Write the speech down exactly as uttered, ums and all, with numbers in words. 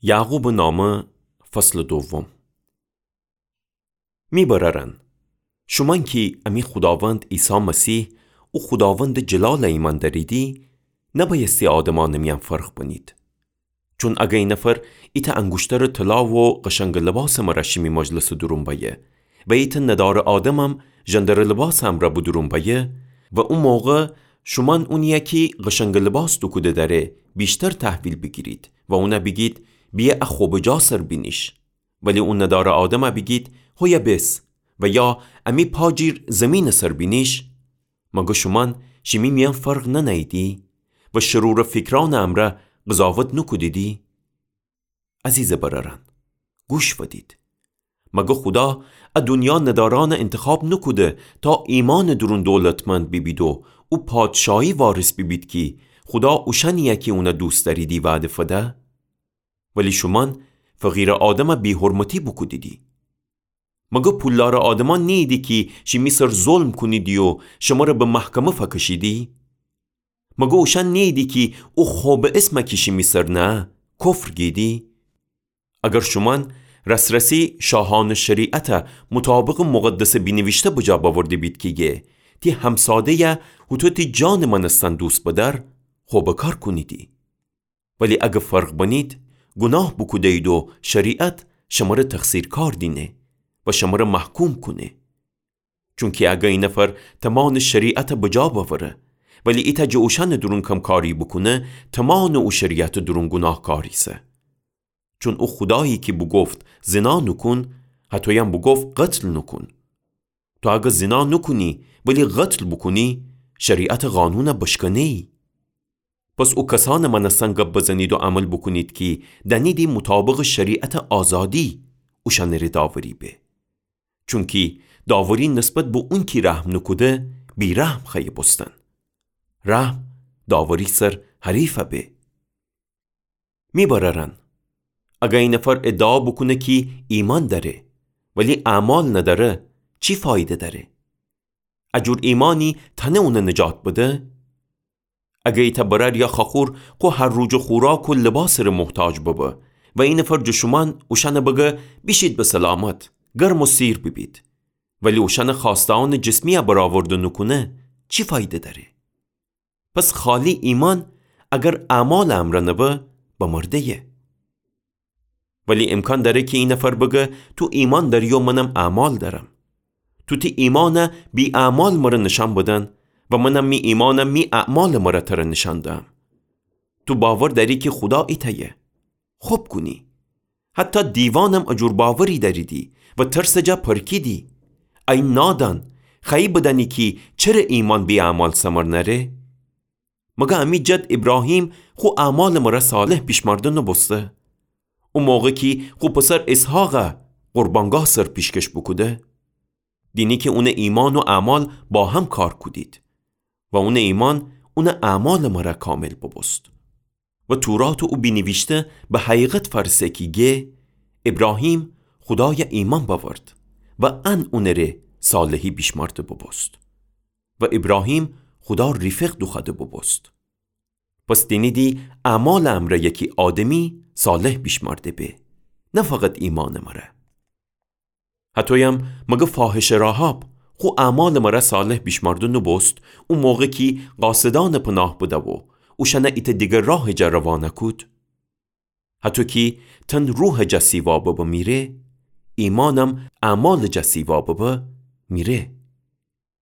یعقوبٚ نامه، فصلٚ دوم. می برأرأن، شومأن کی امی خوداوند عیسی مسیح، او خوداوندٚ جلال ایمأن دأریدی، نبأیستی آدمأنٚ میأن فرق بنید. چون اگر ای نفر ایتأ انگوشترٚ طلا و قشنگٚ لباسٚ مرأ شیمی مجلسٚ دورون بأیه و ایتأ ندارٚ آدمم ژندرٚ لباسٚ امرأ به دورون بأیه و او موقع شومأن اونیی کی قشنگٚ لباس دوکوده دأره ویشتر تحویل بیگیرید و اون بیگید: بیه ا خبٚ جا سر بینیش. ولی او ندارٚ آدم بیگید: هویه بیس. و یا: امی پا جیر زیمینٚ سر بینیش. مگر شومأن شیمی میأن فرق ننهییدی و شرورٚ فیکرأنٚ امرأ قضاوت نوکودیدی؟ عزیزٚ برأرأن، گوش فدید. مگر خودا ا دونیا ندارأنٚ انتخاب نوکوده تا ایمأنٚ دورون دولتمند بیبید و او پادشاهی وارث بیبید کی خودا اوشأنیی کی اون دوست دأریدی وعده فده؟ ولی شومأن فقیرٚ آدم بی‌حرمتی بوکودیدی. مگر پولدارٚ آدمأن نیییدی کی شیمی سر ظلم کونیدی و شمر به محکمه فکشیدی؟ مگر اوشأن نیییدی کی او خبٚ اسم کی شیمی سر نهه کفر گیدی؟ اگر شومأن راس‌راسی شاهأنٚ شریعت مطابقٚ مقدسٚ بینیویشته بجا بأورده بید کی گه: تی همساده‌ی هوطو تی جانٚ مأنستن دوست بدأر، خبٚ کار کونیدی. ولی اگر فرق بنید، گوناه بوکوده‌یید و شریعت شمر تقصیرکار دینه و شمر محکوم کونه. چونکی اگر ای نفر تمأنٚ شریعت بجا بأوره، ولی ایتأ جٚه اوشأنٚ دورون کمکاری بوکونه، تمأنٚ او شریعتٚ دورون گوناهکار ایسه. چون او خودایی کی بوگفت: زنا نوکون، هطویم بوگفت: قتل نوکون. تو اگر زنا نوکونی، ولی قتل بوکونی، شریعتٚ قانون بشکنه‌یی. پس او کسأنٚ مأنستن گب بزنید و عمل بوکونید کی دأنیدی مطابقٚ شریعتٚ آزادی اوشأنٚ ره داوری به. چونکی داوری نسبت به اونکی رحم نوکوده، بی‌رحم خوأیه بوستن. رحم داوری سر حریف به. می برأرأن، اگر ای نفر ادعا بوکونه کی ایمأن دأره، ولی اعمال ندأره، چی فایده دأره؟ ا جور ایمأنی تأنه اون نجات بده؟ اگر ایتأ برأر یا خاخور خو هر روجٚ خوراک و لباسٚ ره محتاج ببه و ای نفر جٚه شومأن اوشأن بگه: بیشید به سلامت، گرم و سیر بیبید، ولی اوشأنٚ خوأسته‌أنٚ جسمی برآورده نوکونه، چی فایده دأره؟ پس خالی ایمأن اگر اعمالٚ امرأ نبه، بمرده‌یه. ولی امکان دأره کی ای نفر بگه: تو ایمأن دأری و منم اعمال دأرم. تو تی ایمأن بی‌اعمال مره نیشأن بدن و منم می ایمأن می اعمالٚ مره تره نیشأن دهم. تو باور دأری کی خودا ایتأیه. خب کونی. حتی دیوانم ا جور باوری دأریدی و ترسٚ جا پرکیدی. ای نادان، خوأیی بدأنی کی چره ایمأن بی‌اعمال ثمر نأره؟ مگر امی جد ایبراهیم خو اعمالٚ مره صالح بیشمأرده نوبوسته؟ او موقع کی خو پسر اسحاق قربانگاه سر پیشکش بوکوده، دینی کی اونٚ ایمأن و اعمال باهم کار کودید و اونٚ ایمأن اونٚ اعمالٚ مره کامل بوبوست. و تورات و او بینیویشته به حقیقت فأرسه کی گه: ایبراهیم خودای ایمأن بأورد و ان اونٚ ره صالحی بیشمأرده بوبوست. و ایبراهیم خودا ریفق دوخوأده بوبوست. پس دینیدی اعمالٚ امرأ یکی آدمی صالح بیشمأرده به، نه فقط ایمأنٚ مره. هطویم مگر فاحشه راحاب خو اعمالٚ مره صالح بیشمأرده نوبوست، او موقع کی قاصدأن پناه بده و اوشأن ایتأ دیگر راهٚ جا روانه کود؟ هطو کی تن روحٚ جا سیوا ببه میره، ایمأنم اعمالٚ جا سیوا ببه میره.